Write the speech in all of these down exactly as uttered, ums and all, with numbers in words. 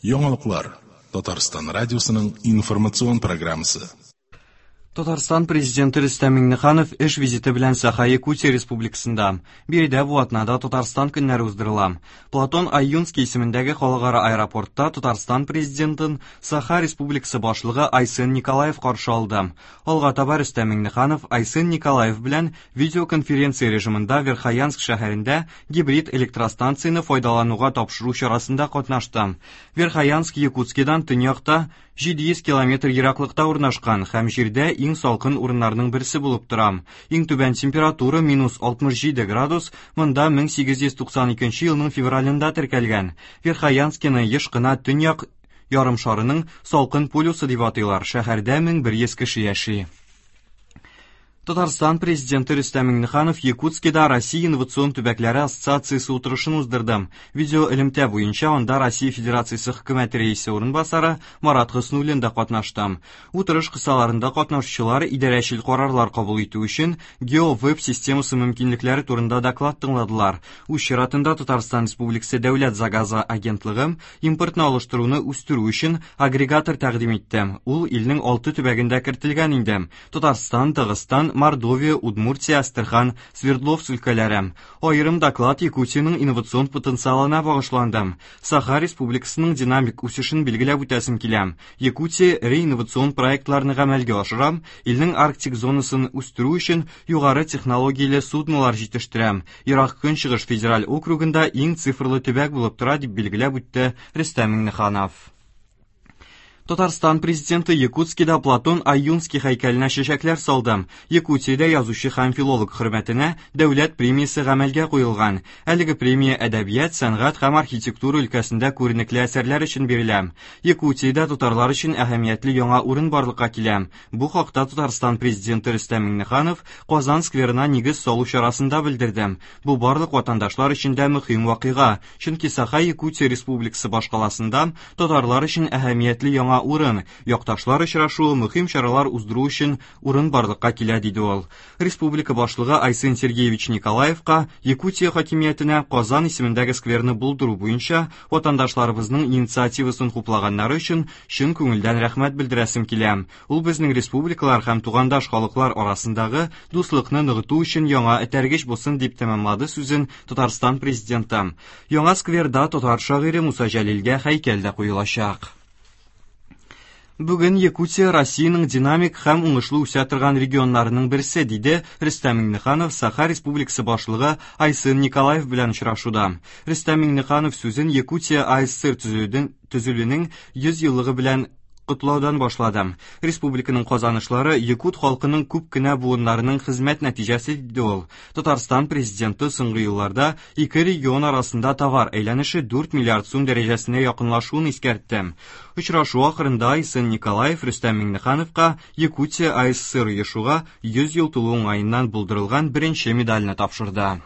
Яңалыклар Татарстан радиосының информацион программасы. Татарстан президенты Рөстәм Миңнеханов эш визиты белән Саха-Якутия Республикасында. Биредә бу атнада Татарстан көннәре уздырыла. Платон Ойунский исемендәге халыкара аэропортта Татарстан президентын Саха Республикасы башлыгы Айсен Николаев каршы алды. Алга таба Рөстәм Миңнеханов Айсен Николаев белән видеоконференция режимында Верхоянск шәһәрендә гибрид электростанцияне файдалануга тапшыру чарасында катнашты. Верхоянск Якутскидан төньякта җиде йөз километр ераклыкта урнашкан һәм җирдә иң салкын урыннарның берсе булып тора. Иң түбән температура минус алтмыш җиде градус, монда мең сигез йөз туксан икенче елның февралендә теркәлгән. Верхоянскины еш кына төньяк ярымшарының салкын полюсы дип атыйлар. Шәһәрдә мең бер йөз кеше яши. Татарстан президенты Рөстәм Миңнеханов Якутскида Россия инновацион төбәкләре ассоциациясе утырышын уздырды. Видео элемтә буенча анда Россия Федерациясе хөкүмәте рәисе урынбасары Марат Хөснуллин да катнашты. Утырыш кысаларында катнашучылар идарәчел карарлар кабул итү өчен GeoWeb системасы мөмкинлекләре турында доклад тыңладылар. Үз чиратында Татарстан Республикасы Дәүләт загазы агентлыгы импортны алыштыруны үстерү өчен агрегатор тәкъдим итте. Ул илнең алты төбәгендә кертелгән инде. Татарстан, Дагыстан, Мордовия, Удмуртия, Астрахань, Свердловск өлкәләре. Аерым доклад Якутиянең инновацион потенциалына багышланды. Саха Республикасының динамик үсешен билгеләп үтәсем килә. Якутия эре инновацион проектларны гамәлгә ашыра, илнең Арктик зонасын үстерү өчен югары технологияле суднолар җитештерә. Ерак Көнчыгыш федераль округында иң цифрлы төбәк булып тора, дип билгеләп үтте Рөстәм Миңнеханов. Татарстан президенты Якутскида Платон Ойунский һәйкәленә чәчәкләр салды. Якутиядә язучы һәм филолог хөрмәтенә дәүләт премиясе гамәлгә куелган. Әлеге премия әдәбият, сәнгать һәм архитектура өлкәсендә күренекле әсәрләр өчен бирелә. Якутиядә татарлар өчен әһәмиятле яңа урын барлыкка килә. Бу хакта Татарстан президенты Рөстәм Миңнеханов Казан скверына нигез салу чарасында белдерде. Бу барлык ватандашлар өчен дә мөһим вакыйга, чөнки Саха-Якутия Республикасы башкаласында татарлар өчен әһәмиятле яңа урын, якташлар очрашуы, мөһим чаралар уздыру өчен урын барлыкка килә, диде ул. Республика башлыгы Айсен Сергеевич Николаевка Якутия хакимиятенә Казан исемендәге скверны булдыру буенча ватандашларыбызның инициативасын хуплаганнары өчен чын күңелдән рәхмәт белдерәсем килә. Ул безнең республикалар һәм тугандаш халыклар арасындагы дуслыкны ныгыту өчен яңа этәргеч булсын, дип тәмамлады сүзен Татарстан президенты. Яңа скверда татар шагыйре Муса Җәлилгә һәйкәл дә куелачак. Бүген Якутия Россиянең динамик һәм уңышлы үсә торган регионнарының берсе, диде Рөстәм Миңнеханов Саха Республикасы башлыгы Айсен Николаев белән очрашуда. Рөстәм Миңнеханов сүзен Якутия А С С Р төзелүнең йөз еллыгы белән котлаудан башлады. Республиканың казанышлары якут халкының күп кенә буыннарының хезмәт нәтиҗәсе, диде ул. Татарстан президенты соңгы елларда ике регион арасында товар әйләнеше дүрт миллиард сум дәрәҗәсенә якынлашуын искәртте. Очрашу ахырында Айсен Николаев Рөстәм Миңнехановка Якутия А С С Р оешуга йөз ел тулу уңаеннан булдырылган беренче медальне тапшырды.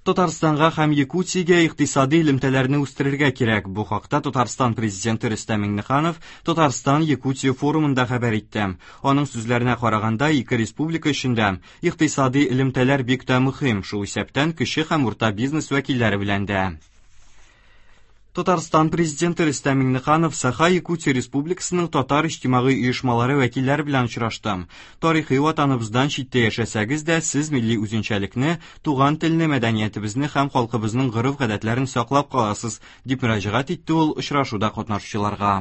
Татарстанга һәм Якутиягә икътисади элемтәләрне үстерергә кирәк. Бу хакта Татарстан президенты Рөстәм Миңнеханов Татарстан Якутия форумында хәбәр итте. Аның сүзләренә караганда, ике республика өчен дә икътисади элемтәләр бик тә мөһим, шул исәптән кече һәм урта бизнес вәкилләре белән дә. Татарстан президенты Рөстәм Миңнеханов Саха-Якутия Республикасының татар иҗтимагый оешмалары вәкилләре белән очрашты. Тарихи ватаныбыздан читтә яшәсәгез дә, сез милли үзенчәлекне, туган телне, мәдәниятебезне һәм халкыбызның гореф-гадәтләрен саклап каласыз, дип мөрәҗәгать итте ул очрашуда катнашучыларга.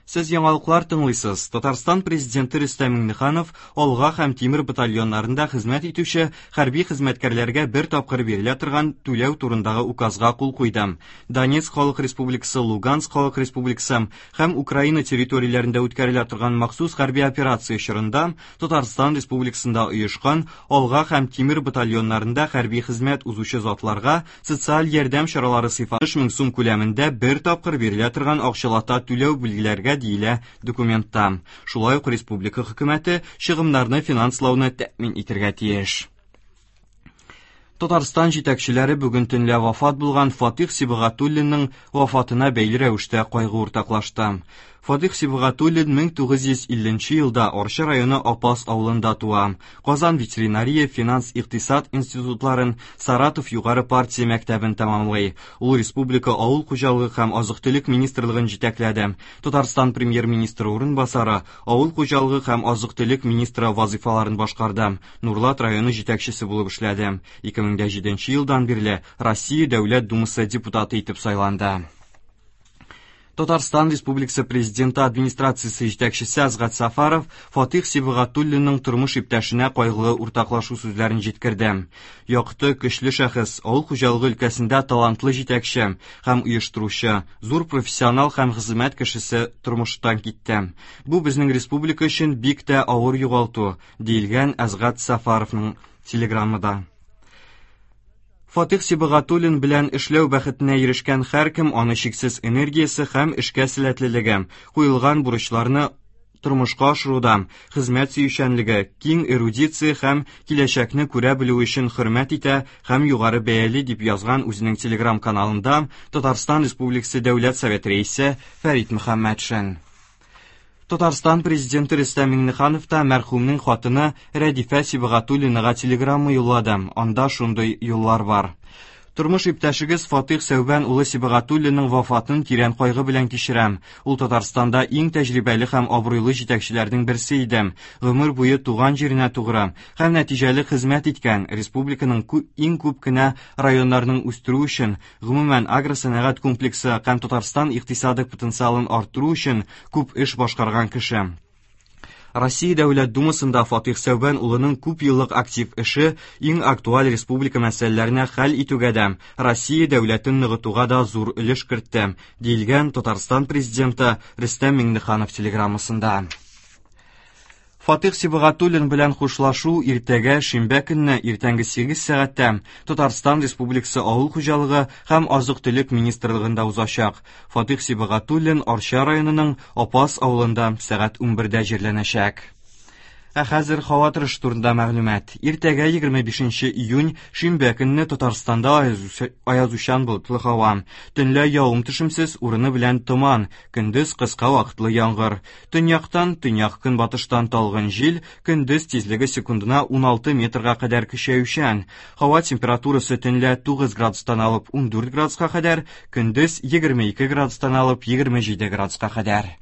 Сез яңалыклар тыңлыйсыз. Татарстан президенты Рөстәм Миңнеханов Алга һәм Тимер батальоннарында хезмәт итүче хәрби хезмәткәрләргә бер тапкыр бирелә торган түләү турындагы указга кул куйды. Донецк Халык Республикасы, Луганск Халык Республикасы һәм Украина территорияләрендә үткәрелә торган махсус хәрби операция чорында Татарстан Республикасында оешкан Алга һәм Тимер батальоннарында хәрби хезмәт узучы затларга социаль ярдәм чаралары сыйфаты мең сум күләмендә бер тапкыр бирелә торган акчалата түләү билгеләргә диелә документта. Шулай ук республика хөкүмәте чыгымнарны финанслауны тәэмин итәргә тиеш. Татарстан җитәкчеләре бүген төнлә вафат булган Фатих Сибгатуллинның вафатына бәйле рәвештә кайгы уртаклашты. Фатих Сибгатуллин мең тугыз йөз илленче елда Арча районы Апас авылында туа. Казан ветеринария, финанс, икътисад институтларын, Саратов югары партия мәктәбен тәмамлый. Ул республика авыл хуҗалыгы һәм азык-төлек министрлыгын җитәкләде. Татарстан премьер-министры урынбасары, авыл хуҗалыгы һәм азык-төлек министры вазифаларын башкарды. Нурлат районы җитәкчесе булып эшләде. ике мең дә җиденче елдан бирле Россия Дәүләт Думасы депутаты итеп сайланды. Татарстан Республикасы Президенты администрациясе җитәкчесе Азгат Сафаров Фатих Сибгатуллинның тормыш иптәшенә кайгылы уртаклашу сүзләрен җиткерде. Якты, көчле шәхес, авыл хуҗалыгы өлкәсендә талантлы җитәкче һәм оештыручы, зур профессионал һәм хезмәт кешесе тормыштан китте. Бу безнең республика өчен бик тә авыр югалту, диелгән Азгат Сафаровның телеграммада. Фатих Сибгатуллин белән эшләү бәхетенә ирешкән һәркем аны чиксез энергиясе һәм эшкә сәләтлелеге, куелган бурычларны тормышка ашыруда, хезмәт сөючәнлеге, киң эрудиция һәм киләчәкне күрә белү өчен хөрмәт итә һәм югары бәяли дип язган үзенең телеграм-каналында Татарстан Республикасы Дәүләт Советы рәисе Фәрит Мөхәммәтшин. Татарстан президенты Рөстәм Миңнеханов та мәрхүмнең хатыны Рәдифә Сибгатуллинага телеграмма юллады. Анда шундый юллар бар. Тормыш иптәшегез Фатих Сәүбән улы Сибгатуллинның вафатын тирән кайгы белән кичерәм. Ул Татарстанда иң тәҗрибәле һәм абруйлы җитәкчеләрнең берсе иде. Гомер буе туган җиренә тугры һәм нәтиҗәле хезмәт иткән, республиканың иң күп кенә районнарының үстерү өчен, гомумән агросәнәгать комплексы һәм Татарстан икътисады потенциалын арттыру өчен күп эш башкарган кеше. Россия Дәүләт Думасында Фатих Сәүбән улының күп еллык актив эше иң актуаль республика мәсьәләләренә хәл итүгә дә, Россия дәүләтен ныгытуга да зур өлеш кертте, диелгән Татарстан президенты Рөстәм Миңнеханов телеграммасында. Фатих Сибгатуллин белән хушлашу иртәгә шимбә көнне иртәнге сигез сәгатьтә Татарстан Республикасы Авыл хуҗалыгы һәм азык-төлек министрлыгында узачак. Фатих Сибгатуллин Арча районының Апас авылында сәгать унбердә җирләнәчәк. Ә хәзер һава торышы турында мәгълүмат. Иртәгә егерме бишенче июнь шимбә көнне Татарстанда аязучан болытлы һава. Төнлә явым-төшемсез, урыны белән томан, көндез кыска вакытлы яңгыр. Төньяктан, төньяк көнбатыштан талгын җил, көндез тизлеге секундына уналты метрга кадәр көчәючән. Һава температурасы төнлә тугыз градустан алып ундүрт градуска кадәр, көндез егерме ике градустан алып егерме җиде градуска кадәр.